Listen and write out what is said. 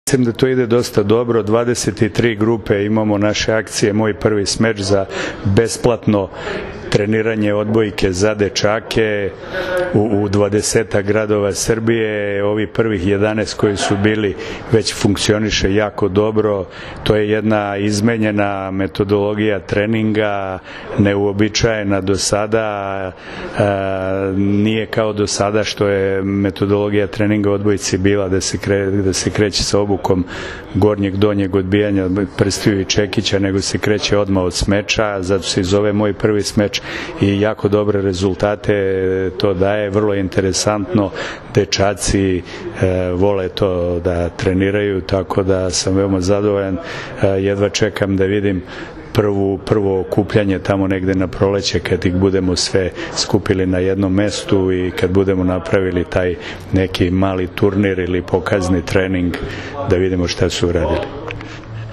Mislim da to ide dosta dobro, 23 grupe imamo naše akcije, moj prvi smeč za besplatno treniranje odbojke za dečake u 20 gradova Srbije. Ovi prvih 11 koji su bili već funkcioniše jako dobro. To je jedna izmenjena metodologija treninga, neuobičajena do sada, nije kao do sada što je metodologija treninga odbojci bila da se kreće sa obukom gornjeg, donjeg odbijanja prstiju i čekića, nego se kreće odmah od smeča, zato se i zove moj prvi smeč i jako dobre rezultate to daje, vrlo interesantno, dečaci vole to da treniraju, tako da sam veoma zadovoljan, jedva čekam da vidim prvo okupljanje tamo negde na proleće kad ih budemo sve skupili na jednom mestu i kad budemo napravili taj neki mali turnir ili pokazni trening da vidimo šta su uradili.